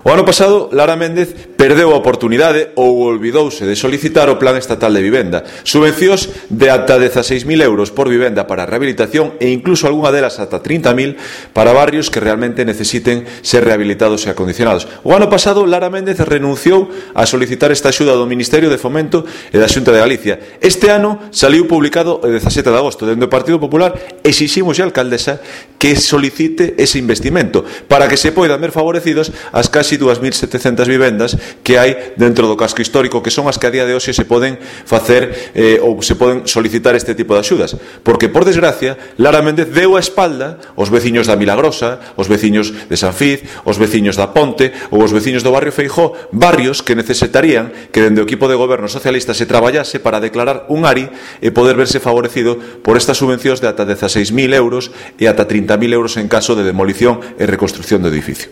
O ano pasado, Lara Méndez perdeu a oportunidade ou olvidouse de solicitar o Plan Estatal de Vivenda. Subvencións de ata 16.000 euros por vivenda para rehabilitación e incluso algunha delas ata 30.000 para barrios que realmente necesiten ser rehabilitados e acondicionados. O ano pasado, Lara Méndez renunciou a solicitar esta axuda do Ministerio de Fomento e da Xunta de Galicia. Este ano saliu publicado o 17 de agosto. Dende o Partido Popular exiximos a alcaldesa que solicite ese investimento para que se poidan ver favorecidos as casi 2.700 vivendas que hai dentro do casco histórico, que son as que a día de hoxe se poden facer ou se poden solicitar este tipo de axudas, porque por desgracia Lara Méndez deu a espalda aos veciños da Milagrosa, aos veciños de San Fiz, aos veciños da Ponte ou aos veciños do barrio Feijó, barrios que necesitarían que dende o equipo de goberno socialista se traballase para declarar un ARI e poder verse favorecido por estas subvencións de ata 16.000 euros e ata 30.000 euros en caso de demolición e reconstrucción do edificio.